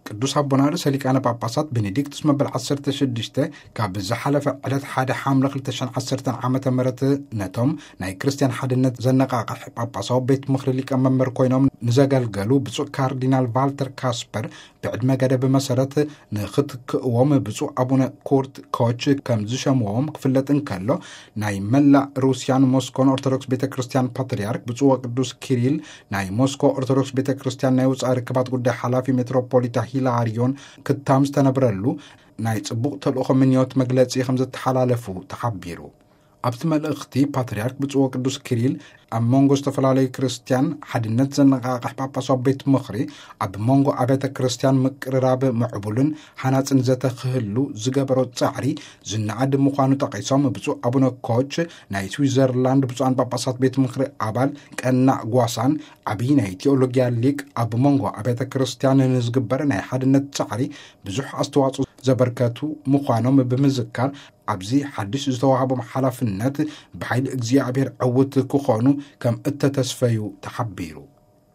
ቅዱስ ኣቦና ርእሰ ሊቃነ ጳጳሳት ቤኔዲክቱስ መበል ዓሰርተ ሽዱሽተ ካብ ዝሓለፈ ዕለት ሓደ ሓምለ ክልተ ሽሕን ዓሰርተን ዓመተ ምህረት ነቶም ናይ ክርስትያን ሓድነት ዘነቓቕሕ ጳጳሳዊ ቤት ምኽሪ ሊቀ መምህር ኮይኖም ንዘገልገሉ ብፁዕ ካርዲናል ቫልተር ካስፐር ብዕድመ ገደብ መሰረት ንኽትክእዎም ብፁዕ ኣቡነ ኩርት ኮች ከም ዝሸምዎም ክፍለጥ እንከሎ፣ ናይ መላእ ሩስያን ሞስኮን ኦርቶዶክስ ቤተ ክርስትያን ፓትርያርክ ብፁዕ ወቅዱስ ኪሪል፣ ናይ ሞስኮ ኦርቶዶክስ ቤተ ክርስትያን ናይ ወፃኢ ርክባት ጉዳይ ሓላፊ ሜትሮፖሊታ ሂላሪዮን ክታም ዝተነብረሉ ናይ ጽቡቕ ተልእኾ ምንዮት መግለጺ ከም ዘተሓላለፉ ተሓቢሩ። ኣብቲ መልእኽቲ ፓትርያርክ ብፁዕ ወቅዱስ ኪሪል ኣብ መንጎ ዝተፈላለዩ ክርስትያን ሓድነት ዘነቓቕሕ ጳጳሳዊ ቤት ምኽሪ ኣብ መንጎ ኣብያተ ክርስትያን ምቅርራብ ምዕቡልን ሃናጽን ዘተ ክህሉ ዝገበሮ ጻዕሪ ዝነኣድ ምዃኑ ጠቒሶም፣ ብፁዕ ኣቡነ ኮች ናይ ስዊዘርላንድ ብፁዓን ጳጳሳት ቤት ምኽሪ ኣባል ቀናእ ጓሳን ዓብዪ ናይ ቴዎሎጊያ ሊቅ ኣብ መንጎ ኣብያተ ክርስትያን ንዝግበር ናይ ሓድነት ጻዕሪ ብዙሕ ኣስተዋጽኦ ዘበርከቱ ምዃኖም ብምዝካር፣ ኣብዚ ሓድሽ ዝተዋህቦም ሓላፍነት ብሓይሊ እግዚኣብሔር ዕውት ክኾኑ ከም እተተስፈዩ ተሓቢሩ።